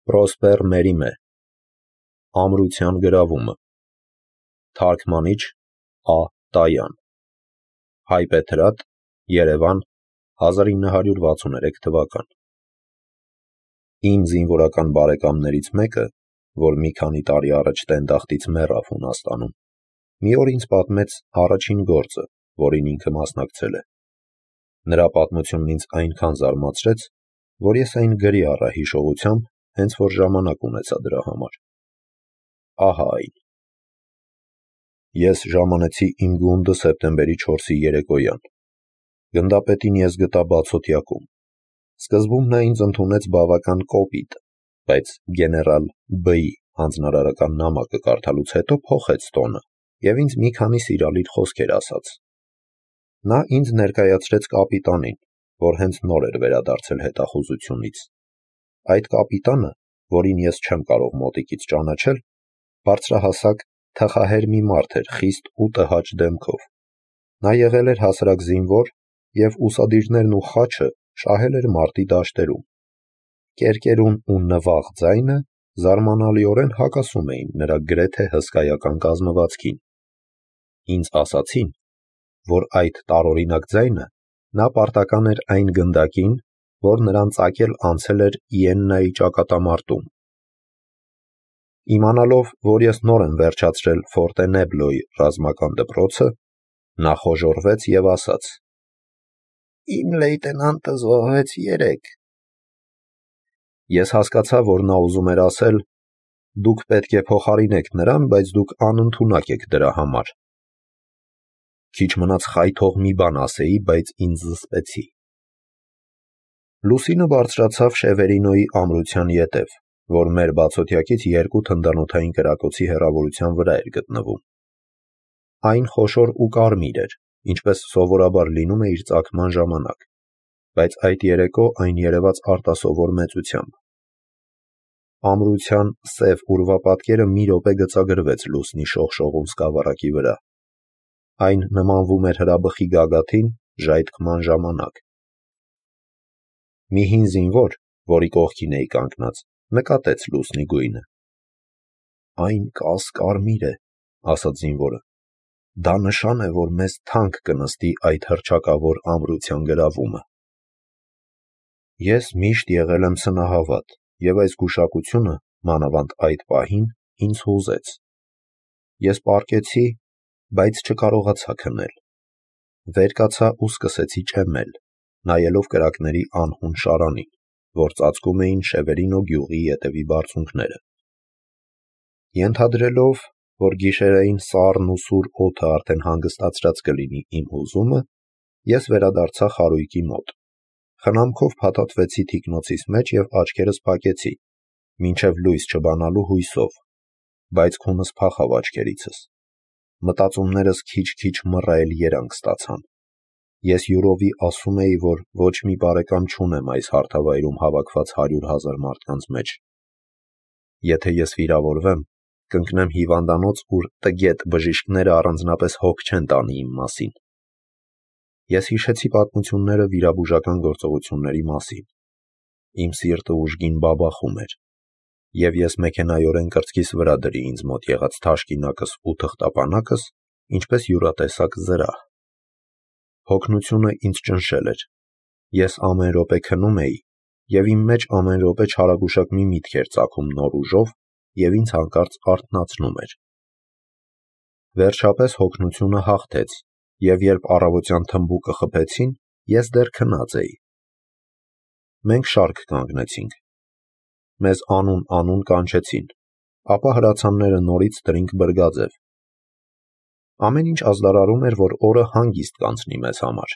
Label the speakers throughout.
Speaker 1: Պրոսպեր Մերիմե Ամրության գրավումը Թարգմանիչ Ա. Տայան Հայբեթրատ Երևան 1963 թվական Իմ զինվորական բարեկամներից մեկը, որ մի քանի տարի առաջ տենդախտից մեռավ Հունաստանում, մի օր ինձ պատմեց առաջին գործը, որին ինքը մասնակցել է։ Նրա պատմությունն ինձ այնքան զարմացրեց, որ ես այն գրի առա հիշողությամբ, հենց որ ժամանակ ունեցա դրա համար։ Ահա այն։ Ես ժամանեցի իմ գունդը սեպտեմբերի 4-ի երեկոյան։ Գնդապետին ես գտա բացօթյակում։ Սկզբում նա ինձ ընդունեց բավական կոպիտ, բայց գեներալ B-ի հանձնարարական նամակը կարդալուց հետո փոխեց տոնը և ինձ մի քանի սիրալիր խոսքեր ասաց։ Նա ինձ ներկայացրեց կապիտանին, որ հենց նոր էր վերադարձել հետախուզությունից։ Այդ կապիտանը, որին ես չեմ կարող մոտիկից ճանաչել, բարձրահասակ, թխահեր մի մարդ էր խիստ ու տհաճ դեմքով։ Նա եղել էր հասարակ զինվոր և ուսադիրներն ու խաչը շահել էր մարտի դաշտերում։ Կերկերուն ու նվաղ ձայնը զարմանալիորեն հակասում էին նրա գրեթե հսկայական կազմվածքին։ Ինձ ասացին, որ այդ տարօրինակ ձայնը նա պարտական էր այն գնդակին, որ նրան ծագել անցել էր Իեննայի ճակատամարտում։ Իմանալով, որ ես նոր եմ վերջացրել Ֆորտենեբլոյի ռազմական դպրոցը, նա խոժոռվեց և ասաց. «Իմ լեյտենանտը զոհվեց երեկ»։ Ես հասկացա, որ նա ուզում էր ասել. «Դուք պետք է փոխարինեք նրան, բայց դուք անընդունակ եք դրա համար»։ Քիչ մնաց խայթող մի բան ասեի, բայց ինձ զսպեցի։ Լուսինը բարձրացավ Շևերինոյի ամրության ետև, որ մեր բացօթյակից 2 թնդանոթային կրակոցի հեռավորության վրա էր գտնվում։ Այն խոշոր ու կարմիր էր, ինչպես սովորաբար լինում է իր ծագման ժամանակ, բայց այդ երեկո այն երևաց արտասովոր մեծությամբ։ Ամրության սև ուրվապատկերը մի րոպե գծագրվեց լուսնի շողշողուն սկավառակի վրա։ Այն նմանվում էր հրաբխի գագաթին ժայթքման ժամանակ։ Մի հին զինվոր, որի կողքին էի կանգնած, նկատեց լուսնի գույնը։ «Այն կաս-կարմիր է», ասաց զինվորը։ «Դա նշան է, որ մեզ թանկ կնստի այդ հռչակավոր ամրության գրավումը»։ Ես միշտ եղել եմ սնահավատ, և այս գուշակությունը, մանավանդ այդ պահին, ինձ հուզեց։ Ես պառկեցի, բայց չկարողացա քնել։ Վեր կացա ու սկսեցի ճեմմել, նայելով կրակների անհուն շարանին, որ ծածկում էին Շևերինո գյուղի ետևի բարձունքները։ Ենթադրելով, որ գիշերային սառն ու սուր օդը արդեն հանգստացրած կլինի իմ հուզումը, ես վերադարձա խարույկի մոտ։ Խնամքով փաթաթվեցի թիկնոցիս մեջ և աչքերս փակեցի, մինչև լույս չբանալու հույսով, բայց քունս փախավ աչքերիցս։ Մտածումներս քիչ-քիչ մռայլ երանգ ստացան։ Ես յուրովի ասում էի, որ ոչ մի բարեկամ չունեմ այս հարթավայրում հավաքված 100,000 մարդկանց մեջ։ Եթե ես վիրավորվեմ, կընկնեմ հիվանդանոց, ուր տգետ բժիշկները առանձնապես հոգ չեն տանի իմ մասին։ Ես հիշեցի պատմությունները վիրաբուժական գործողությունների մասին։ Իմ սիրտը ուժգին բաբախում էր, և ես մեքենայորեն կրծքիս վրա դրի ինձ մոտ եղած թաշկինակս ու թղթապանակս, ինչպես յուրատեսակ զրահ։ Հոգնությունը ինձ ճնշել էր։ Ես ամեն րոպե քնում էի, և իմ մեջ ամեն րոպե չարագուշակ մի միտք էր ծագում նոր ուժով և ինձ հանկարծ արթնացնում էր։ Վերջապես հոգնությունը հաղթեց, և երբ առավոտյան թմբուկը խփեցին, ես դեռ քնած էի։ Մենք շարք կանգնեցինք։ Մեզ անուն կանչեցին, ապա հրացանները նորից դրինք բրգաձև։ Ամեն ինչ ազդարարում էր, որ օրը հանգիստ կանցնի մեզ համար։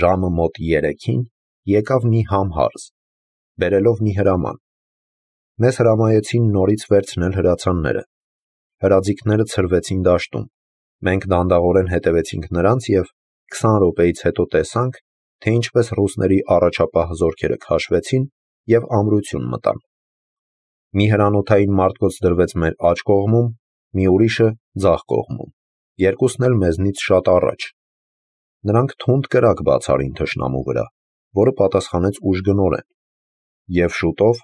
Speaker 1: Ժամը մոտ 3-ին եկավ մի համհարձ, բերելով մի հրաման։ Մեզ հրամայեցին նորից վերցնել հրացանները։ Հրաձիգները ցրվեցին դաշտում։ Մենք դանդաղորեն հետևեցինք նրանց և 20 րոպեից հետո տեսանք, թե ինչպես ռուսների առաջապահ զորքերը քաշվեցին և ամրություն մտան։ Մի հրանոթային մարտկոց դրվեց մեր աջ կողմում, մի ուրիշը՝ ձախ կողմում, երկուսն էլ մեզնից շատ առաջ։ Նրանք թունդ կրակ բաց արին թշնամու վրա, որը պատասխանեց ուժգնորեն։ Եվ շուտով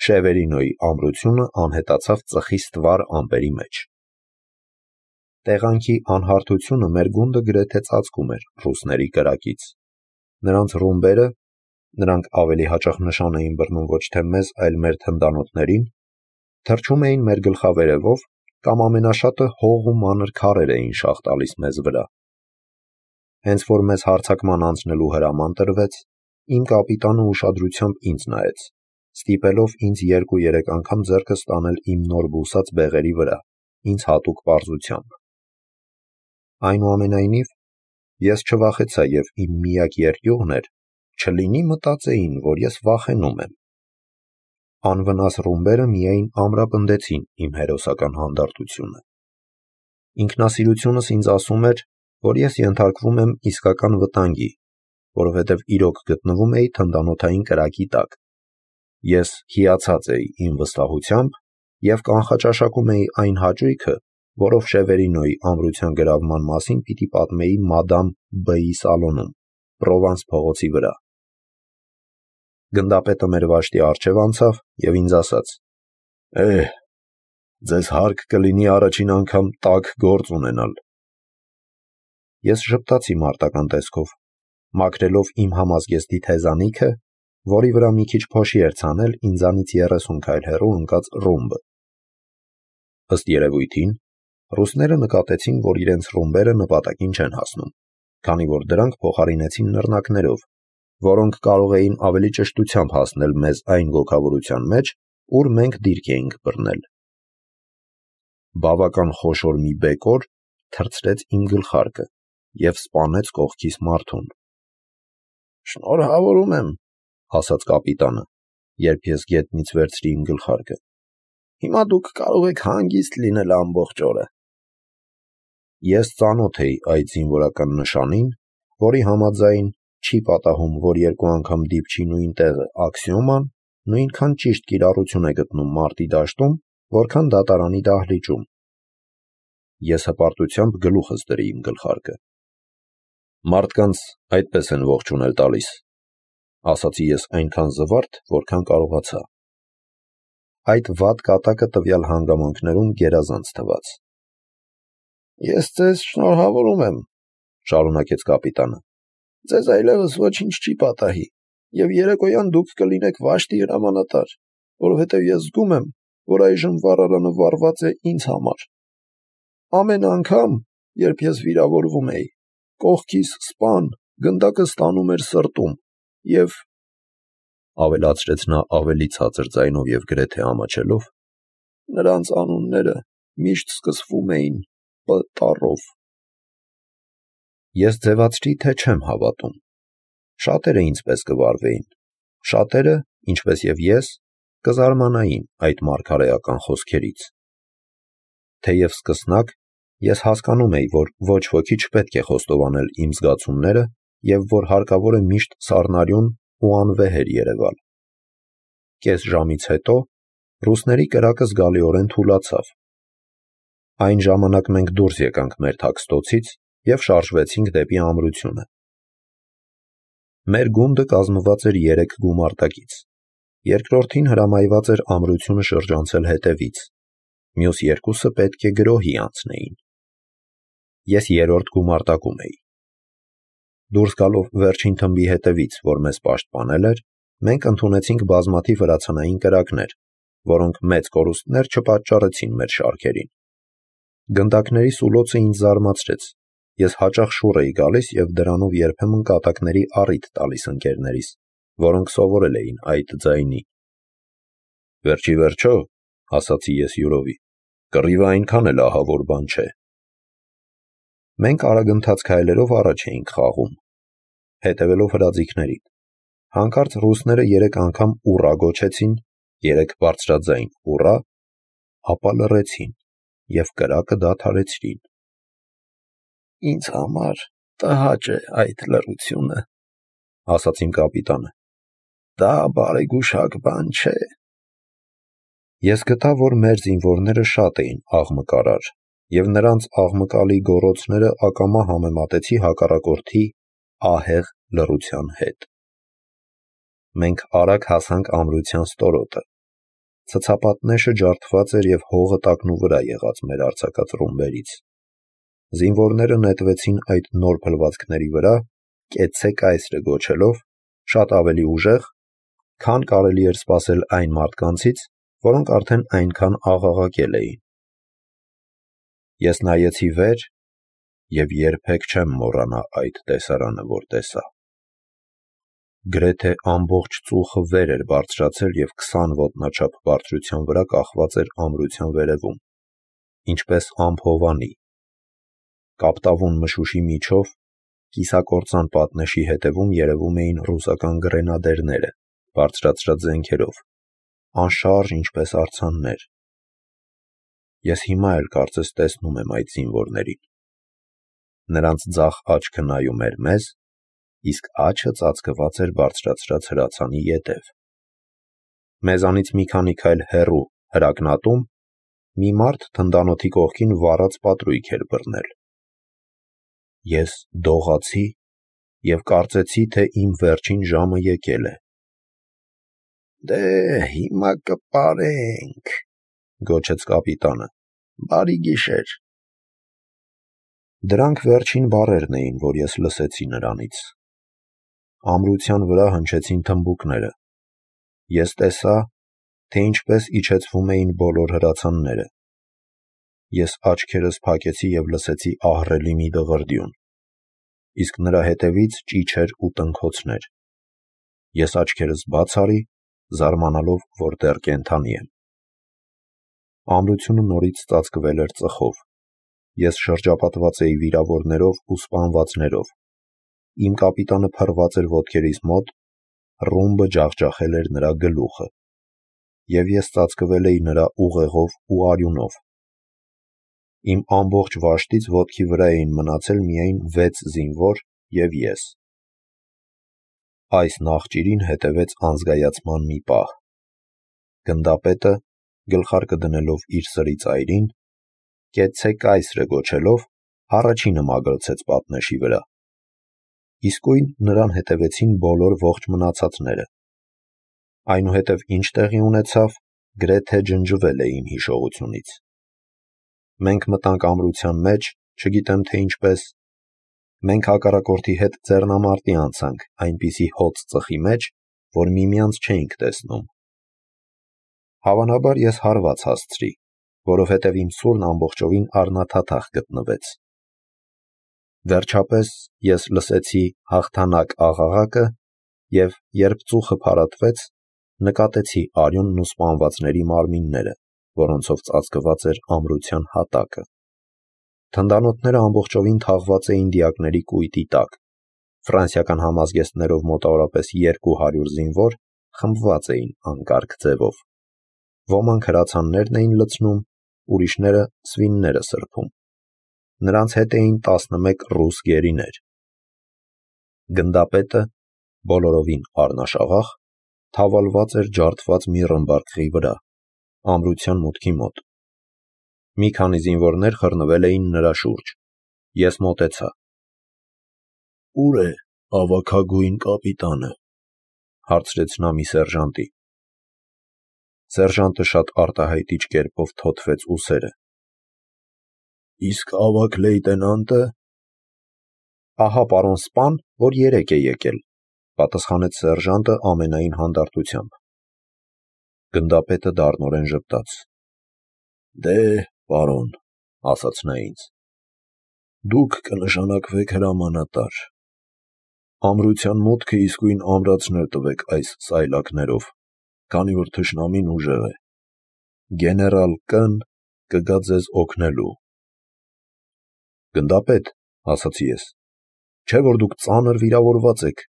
Speaker 1: Շևերինոյի ամրությունը անհետացավ ծխի ստվար ամպերի մեջ։ Տեղանքի անհարթությունը մեր գունդը գրեթե ծածկում էր ռուսների կրակից։ Նրանց ռումբերը, նրանք ավելի հաճախ նշան էին բռնում ոչ թե մեզ, այլ մեր թնդանոթներին, թռչում էին մեր գլխավերևով կամ ամենաշատը հող ու մանր քարեր էին շաղ տալիս մեզ վրա։ Հենց որ մեզ հարձակման անցնելու հրաման տրվեց, իմ կապիտանը ուշադրությամբ ինձ նայեց, ստիպելով ինձ 2-3 անգամ ձեռքս տանել իմ նոր բուսած բեղերի վրա, ինձ հատուկ պարզությամբ։ Այնուամենայնիվ, ես չվախեցա և իմ միակ երկյուղն էր, չլինի մտածեին, որ ես վախենում եմ։ Անվնաս ռումբերը միայն ամրապնդեցին իմ հերոսական հանդարտությունը։ Ինքնասիրությունս ինձ ասում էր, որ ես ենթարկվում եմ իսկական վտանգի, որովհետև իրոք գտնվում էի թնդանոթային կրակի տակ։ Ես հիացած էի իմ վստահությամբ և կանխաճաշակում էի այն հաճույքը, որով Շևերինոյի ամրության գրավման մասին պիտի պատմեի մադամ B-ի սալոնում, Պրովանս փողոցի վրա։ Գնդապետը մեր վաշտի առջև անցավ և ինձ ասաց. ձեզ հարկ կլինի առաջին անգամ տաք գործ ունենալ։ Ես ժպտացի մարտական տեսքով, մաքրելով իմ համազգեստի թեզանիքը, որի վրա մի քիչ փոշի էր ցանել ինձանից 30 քայլ հեռու ընկած ռումբը։ Ըստ երևույթին, ռուսները նկատեցին, որ իրենց ռումբերը նպատակին չեն հասնում, քանի որ դրանք փոխարինեցին նռնակներով, որոնք կարող էին ավելի ճշտությամբ հասնել մեզ այն գոգավորության մեջ, ուր մենք դիրք էինք բռնել։ Բավական խոշոր մի բեկոր թռցրեց իմ գլխարկը և սպանեց կողքիս մարդուն։ «Շնորհավորում եմ», ասաց կապիտանը, երբ ես գետնից վերցրի իմ գլխարկը։ «Հիմա դուք կարող եք հանգիստ լինել ամբողջ օրը»։ Ես ծանոթ էի այդ զինվորական նշանին, որի համաձայն չի պատահում, որ 2 անգամ դիպչի նույն տեղը աքսիոման նույնքան ճիշտ կիրառություն է գտնում մարտի դաշտում, որքան դատարանի դահլիճում։ Ես հպարտությամբ գլուխս դրի իմ գլխարկը։ «Մարդկանց այդպես են ողջունել տալիս», ասացի ես այնքան զվարթ, որքան կարողացա։ Այդ վատ կատակը տվյալ հանգամանքներում գերազանց թվաց։ «Ես ձեզ շնորհավորում եմ», շարունակեց կապիտանը։ «Ձեզ այլևս ոչինչ չի պատահի, և երեկոյան դուք կլինեք վաշտի հրամանատար, որովհետև ես զգում եմ, որ այժմ վառարանը վառված է ինձ համար։ Ամեն անգամ, երբ ես վիրավորվում էի, կողքիս սպան գնդակը ստանում էր սրտում, և, ավելացրեց նա ավելի ցածր ձայնով և գրեթե ամաչելով, նրանց անունները միշտ սկսվում էին П տառով։ Ես ձևացրի, թե չեմ հավատում։ Շատերը ինձպես կվարվեին, շատերը, ինչպես և ես, կզարմանային այդ մարգարեական խոսքերից։ Թեև սկսնակ, ես հասկանում էի, որ ոչ ոքի չպետք է խոստովանել իմ զգացումները և որ հարկավոր է միշտ սառնարյուն ու անվեհեր երևալ։ Կես ժամից հետո ռուսների կրակը զգալիորեն թուլացավ։ Այն ժամանակ մենք դուրս եկանք մեր թաքստոցից և շարժվեցինք դեպի ամրությունը։ Մեր գունդը կազմված էր 3 գումարտակից։ Երկրորդին հրամայված էր ամրությունը շրջանցել հետևից, մյուս 2-ը պետք է գրոհի անցնեին։ Ես 3-րդ գումարտակում էի։ Դուրս գալով վերջին թմբի հետևից, որ մեզ պաշտպանել էր, մենք ընդունեցինք բազմաթիվ հրացանային կրակներ, որոնք մեծ կորուստներ չպատճառեցին մեր շարքերին։ Գնդակների սուլոցը ինձ զարմացրեց։ Ես հաճախ շուռ էի գալիս և դրանով երբեմն կատակների առիթ տալիս ընկերներիս, որոնք սովորել էին այդ ձայնի։ Վերջ ի վերջո, ասացի ես յուրովի, կռիվը այնքան էլ ահավոր բան չէ։ Մենք արագընթաց քայլերով առաջ էինք խաղում, հետևելով հրաձիգներին։ Հանկարծ ռուսները 3 անգամ ուռա գոչեցին, 3 բարձրաձայն ուռա, ապա լռեցին և կրակը դադարեցրին։ «Ինձ համար տհաճ է այդ լռությունը», ասաց իմ կապիտանը։ «Դա բարեգուշակ բան չէ»։ Ես գտա, որ մեր զինվորները շատ էին աղմկարար, և նրանց աղմկալի գոռոցները ակամա համեմատեցի հակառակորդի ահեղ լռության հետ։ Մենք արագ հասանք ամրության ստորոտը, Ցցապատնեշը ջարդված էր և հողը տակնու վրա եղած մեր արձակած ռումբերից։ Զինվորները նետվեցին այդ նոր փլվածքների վրա, կեցցե կայսրը գոչելով, շատ ավելի ուժեղ, քան կարելի էր սպասել այն մարդկանցից, որոնք արդեն այնքան աղաղակել էին։ Ես նայեցի վեր և երբեք չեմ մոռանա այդ տեսարանը, որ տեսա։ Գրեթե ամբողջ ծուխը վեր էր բարձրացել և 20 ոտնաչափ բարձրության վրա կախված էր ամրության վերևում, ինչպես ամփովանի։ Կապտավուն մշուշի միջով, կիսակործան պատնեշի հետևում երևում էին ռուսական գրենադերները, բարձրացրած զենքերով, անշարժ ինչպես արձաններ։ Ես հիմա էլ կարծես տեսնում եմ այդ զինվորներին։ Նրանց ձախ աչքը նայում էր մեզ, իսկ աջը ծածկված էր բարձրացրած հրացանի ետև։ Մեզանից մի քանի քայլ հեռու հրակնատում մի մարդ թնդանոթի կողքին վառած պատրույգ էր բռնել։ Ես դողացի և կարծեցի, թե իմ վերջին ժամը եկել է։ «Դե հիմա կպարենք», գոչեց կապիտանը, «բարի գիշեր»։ Դրանք վերջին բառերն էին, որ ես լսեցի նրանից։ Ամրության վրա հնչեցին թմբուկները։ Ես տեսա, թե ինչպես իջեցվում էին բոլոր հրացանները։ Ես աչքերս փակեցի և լսեցի ահռելի մի դղրդյուն, իսկ նրա հետևից ճիչեր ու տնքոցներ։ Ես աչքերս բաց արի, զարմանալով, որ դեռ կենդանի եմ։ Ամրությունը նորից ծածկվել էր ծխով։ Ես շրջապատված էի վիրավորներով ու սպանվածներով։ Իմ կապիտանը փռված էր ոտքերիս մոտ, ռումբը ջախջախել էր նրա գլուխը, և ես ծածկվել էի նրա ուղեղով ու արյունով։ Իմ ամբողջ վաշտից ոտքի վրա էին մնացել միայն 6 զինվոր և ես։ Այս նախճիրին հետևեց անզգայացման մի պահ։ Գնդապետը, գլխարկը դնելով իր սրի ծայրին, «Կեցցե կայսրը» գոչելով, առաջինը մագլցեց պատնեշի վրա։ Իսկույն նրան հետևեցին բոլոր ողջ մնացածները։ Այնուհետև ինչ տեղի ունեցավ, գրեթե ջնջվել է իմ հիշողությունից։ Մենք մտանք ամրության մեջ, չգիտեմ թե ինչպես։ Մենք հակառակորդի հետ ձեռնամարտի անցանք այնպիսի հոծ ծխի մեջ, որ միմյանց չէինք տեսնում։ Հավանաբար ես հարված հասցրի, որովհետև իմ սուրն ամբողջովին առնաթաթախ գտնվեց։ Վերջապես ես լսեցի հաղթանակ աղաղակը և, երբ ծուխը փարատվեց, նկատեցի արյունն ու սպանվածների մարմինները, որոնցով ծածկված էր ամրության հատակը։ Թնդանոթները ամբողջովին թաղված էին դիակների կույտի տակ։ Ֆրանսիական համազգեստներով մոտավորապես 200 զինվոր խմբված էին անկարգ ձևով։ Ոմանք հրացաններն էին լցնում, ուրիշները սվինները սրբում։ Նրանց հետ էին 11 ռուս գերիներ։ Գնդապետը, բոլորովին առնաշաղախ, թավալված էր ջարդված մի ռմբարկղի վրա, ամրության մուտքի մոտ։ Մի քանի զինվորներ խռնվել էին նրա շուրջ։ Ես մոտեցա։ «Ո՞ւր է ավագագույն կապիտանը», հարցրեց նա մի սերժանտի։ Սերժանտը շատ արտահայտիչ կերպով թոթվեց ուսերը։ «Իսկ ավագ լեյտենանտը»։ «Ահա պարոն սպան, որ երեկ է եկել», պատասխանեց սերժանտը ամենայն հանդարտությամբ։ Գնդապետը դառնորեն ժպտաց։ «Դե, պարոն», ասաց նա ինձ, «դուք կնշանակվեք հրամանատար։ Ամրության մուտքը իսկույն ամրացնել տվեք այս սայլակներով, քանի որ թշնամին ուժեղ է։ Գեներալ Կ-ն կգա ձեզ օգնելու»։ «Գնդապետ», ասացի ես, «չէ՞ որ դուք ծանր վիրավորված եք»։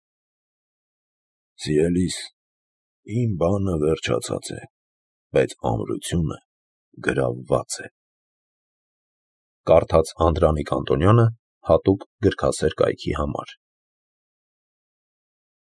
Speaker 1: «Սիրելիս, իմ բանը վերջացած է, բայց ամրությունը գրավված է»։ Կարդաց Անդրանիկ Անտոնյանը հատուկ գրքասեր կայքի համար։